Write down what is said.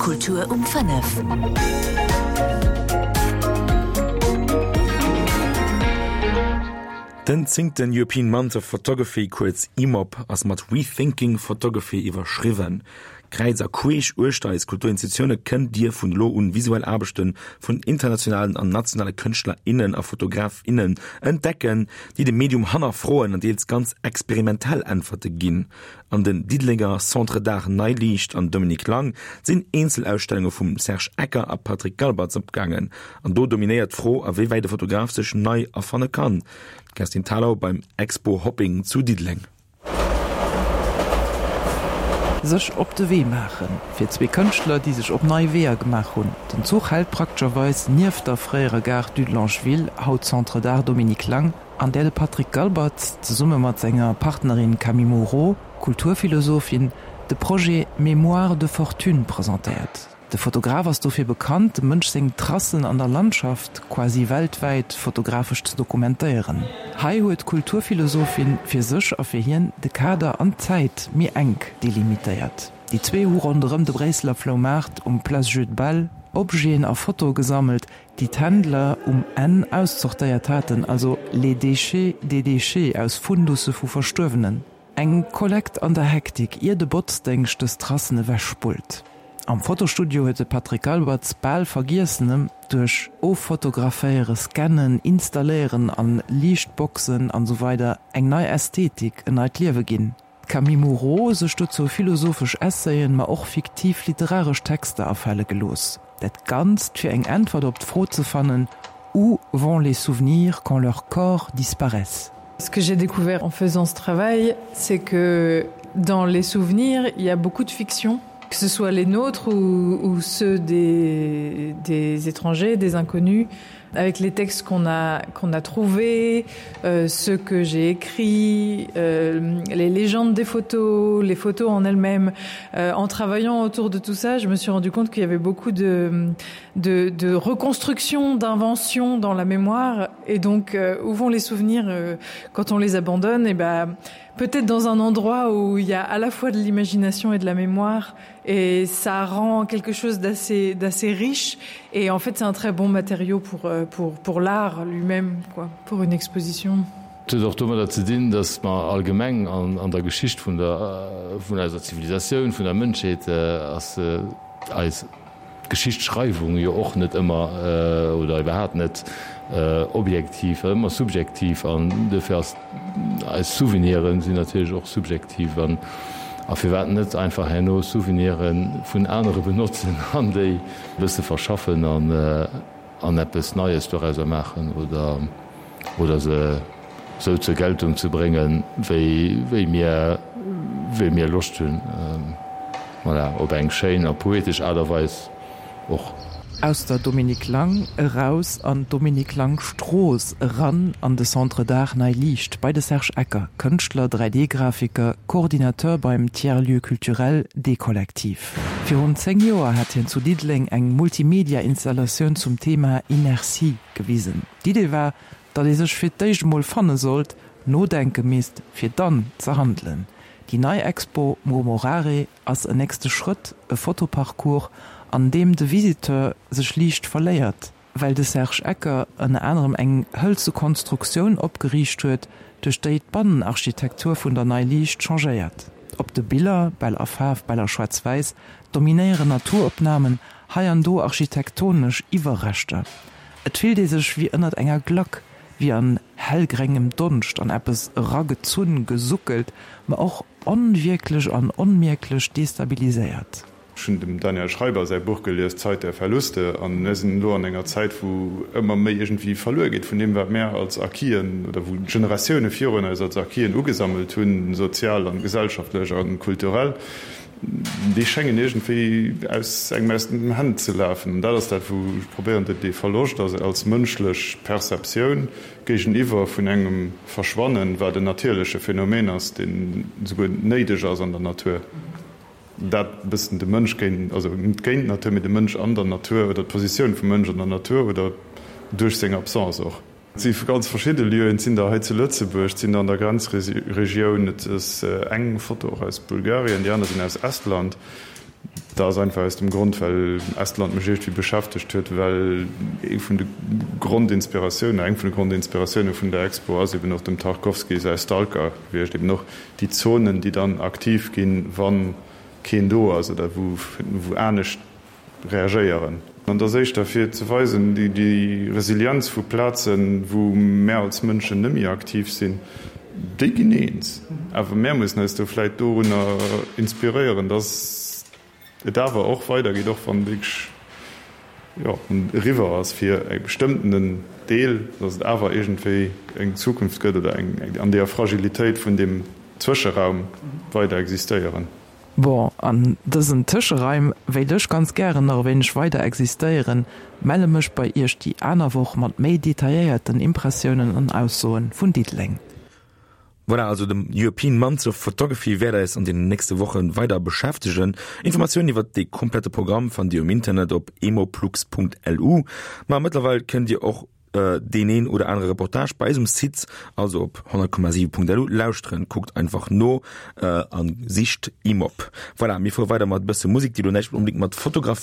Kultur um 5. Den zéngten European Month of Photography, kuerz EMOP, ass mat Rethinking Photography iwwerschriwwen. Kräiz a queesch uechter eis Kulturinstitutioune kënnt Dir vun elo un visuell Aarbechte vun internationalen an nationale Kënschtler, innen a Fotograf, innen entdecken, déi de Medium hannerfroen an deels ganz experimentell Äntwerte ginn. An den Diddelenger Centre d'Art Nei Liicht an Dominique Lang sinn Eenzelausstellunge vum Serge Ecker a Patrick Galbertz opgaangen. An do dominéiert d'Fro, a wéi wäit e Fotograf sech nei erfanne kann. D'Kerstin Thalau beim Expo Hopping zu Diddeleng. Sech op de Wee maachen, fir zwee Kënschtler, déi sech op nei Weeër gemaach hunn. Den Zuch hält praktescherweis nieft der fréierer Gare Dudelange-Ville, haut Centre d'Art Dominique Lang, an där de Patrick Galbert zesumme mat senger Partnerin Camille Moreau, Kulturphilosophin, de Projet Mémoires de fortune presentéiert. De Fotograf ass dofir bekannt, dem Mënsch seng Tracen an der Landschaft quasi weltwäit fotografesch ze dokumentéieren. Hei huet d'Kulturphilosophin fir sech a fir hien de Kader an d'Zäit méi enk delimitéiert. Déi zwee hu ronderëm de Bréisseler Floumaart um Place Jeu de Balle Objeten a Fotoe gesammelt, déi d'Händler um Enn auszortéiert haten, also les déchets des déchets aus Fundusse vu Verstuerwenen. Eng Kollekt an der Hektik, ier de Botzdéngscht dës Tracen ewechspullt. Am Fotostudio huet de Patrick Albertz bal Vergiessenem duerch Offotograféiere, Scannen, Installéieren an Liichtboxen an esou weider eng nei Ästhetik, en neit Liewe ginn. D'Camille Moreau sech dozou philosophesch Essayen, ma och fiktiv literaresch Texter afale gelooss. Dat Ganzt fir eng Äntwert op d'Fro ze fannen, Où vont les souvenirs quand leurs corps disparaissent? Ce que j'ai découvert en faisant ce travail, c'est que dans les souvenirs, il y a beaucoup de fiction, que ce soit les nôtres ou, ou ceux des, des étrangers, des inconnus, avec les textes qu'on a qu'on a trouvé euh, ce que j'ai écrit euh, les légendes des photos les photos en elles-mêmes euh, en travaillant autour de tout ça je me suis rendu compte qu'il y avait beaucoup de de, de reconstruction d'invention dans la mémoire et donc euh, où vont les souvenirs euh, quand on les abandonne et ben peut-être dans un endroit où il y a à la fois de l'imagination et de la mémoire et ça rend quelque chose d'assez d'assez riche et en fait c'est un très bon matériau pour euh, pour pour l'art lui-même quoi pour une exposition. Et huet och domadder ze dinn, datt mer allgemeng an an der Geschicht vun der vun eiser Zivilisatioun, vun der Mënschheet ass eis Geschichtsschreiwung jo och net ëmmer oder iwwerhaapt net objektiv, ëmmer subjektiv an duerfir ass eis Souveniren sinn natierlech och subjektiv an a firwat net einfach herno Souvenire vun anere benotzen an déi e bësse verschaffen an an eppes Neies dorauser maachen oder oder se sou zur Geltung ze bréngen, wéi wéi mir wéi mir Loscht hunn. Voilà, op eng schéin a poetesch Aart a Weis och. Aus der Dominique Lang eraus an d'Dominique Lang Strooss, eran an de Centre d'Art Nei Liicht bei de Serge Ecker, Kënschtler, 3D-Grafiker, Coordinateur beim Tiers Lieu Culturel D-Kollektiv. Virun 10 Joer hat hien zu Diddeleng eng Multimedia-Installatioun zum Thema Inertie gewisen. D'Idee war, datt ee sech fir d'éischt emol fanne sollt, nodenke misst, fir dann ze handelen. Déi nei Expo Murmurare ass en nächste Schrëtt, e Fotoparcours, an deem de Visiteur sech liicht verléiert, well de Serge Ecker ënner anerem eng hëlze Konstruktioun opgeriicht huet, duerch déi d'Bannenarchitektur vun der Nei Liicht changéiert. Op de Biller, bal a Faarf, bal a Schwaarz-Wäiss, dominéieren Naturopnamen, hei an do architektonesch Iwwerreschter. Et fillt ee sech wéi ënnert enger Glack, wéi an hellgréngem Donscht an eppes eragezunn, gesuckelt, ma och onwierklech an onmierklech destabiliséiert. Ech hunn dem Daniel Schreiber säi Buch gelies, Zeit der Verluste, an mir sinn elo an enger Zäit, wou ëmmer méi iergendwéi verluer geet vun deem, wat mär als Acquisen oder wou d'Generatioune virun eis als Acquisen ugesammelt hunn, sozial an gesellschaftlech a kulturell. Déi schéngen iergendwéi aus engem aus den Hänn ze lafen. An dat ass dat, wou ech probéieren, dee Verloscht als als mënschlech Perceptioun géigeniwwer vun engem Verschwannen, wat en natierleche Phänomen ass, deen esouguer néideg ass an der Natur, dat e bëssen de Mënsch géint, also net géint d'Natur, mee de Mënsch an der Natur oder d'Positioun vum Mënsch an der Natur oder duerch seng Absence och. Et si ganz verschidde Lieuen, et sinn der hei zu Lëtzebuerg, et sinn der an der Grenzregioun, et ass eng Foto och aus Bulgarien, déi aner sinn aus Estland. Dat ass einfach aus dem Grond, well Estland mech iergendwéi beschäftegt huet, well ee vun de Grondinspiratiounen, eng vun de Grondinspiratioune vun der Expo ass eben och dem Tarkovsky säi Stalker gewiescht, eben och déi Zonen, déi dann aktiv ginn, wa keen do ass oder wou anescht reagéieren. An et ass éischter fir ze weisen, déi Resilienz vu Plazen, wou mär als Mënschen net méi aktiv sinn, déi ginn eens. Awer mär mussen eis do vläit dorunner inspiréieren, dass et awer och weidergeet, och wann wierklech, jo, eriwwer ass fir e bestëmmtenen Deel, dass et awer iergendwéi eng Zukunft gëtt oder eng an deeër Fragilitéit vun deem Zwëscheraum weider existéieren. Bon, an dësen Tëscheraim wéilt ech ganz gären nach e wéineg weider existéieren, melle mech bei iech déi aner Woch mat méi detailléierten Impressiounen an Aussoen vun Diddeleng. Voilà, also de European Month of Photography wäert eis an den nächste Woche weider beschäftegen. Informatiounen iwwert de komplette Programm fannt Dir um Internet op emoplux.lu. Ma mëttlerweil kënnt Dir och deen een oder anere Reportage bei eis um Site, also op 100,7.lu lauschteren. Kuckt einfach no an sicht IMOP. Voilà, mir fuere weider mat e bësse Musek, déi elo näischt onbedéngt mat Fotografie.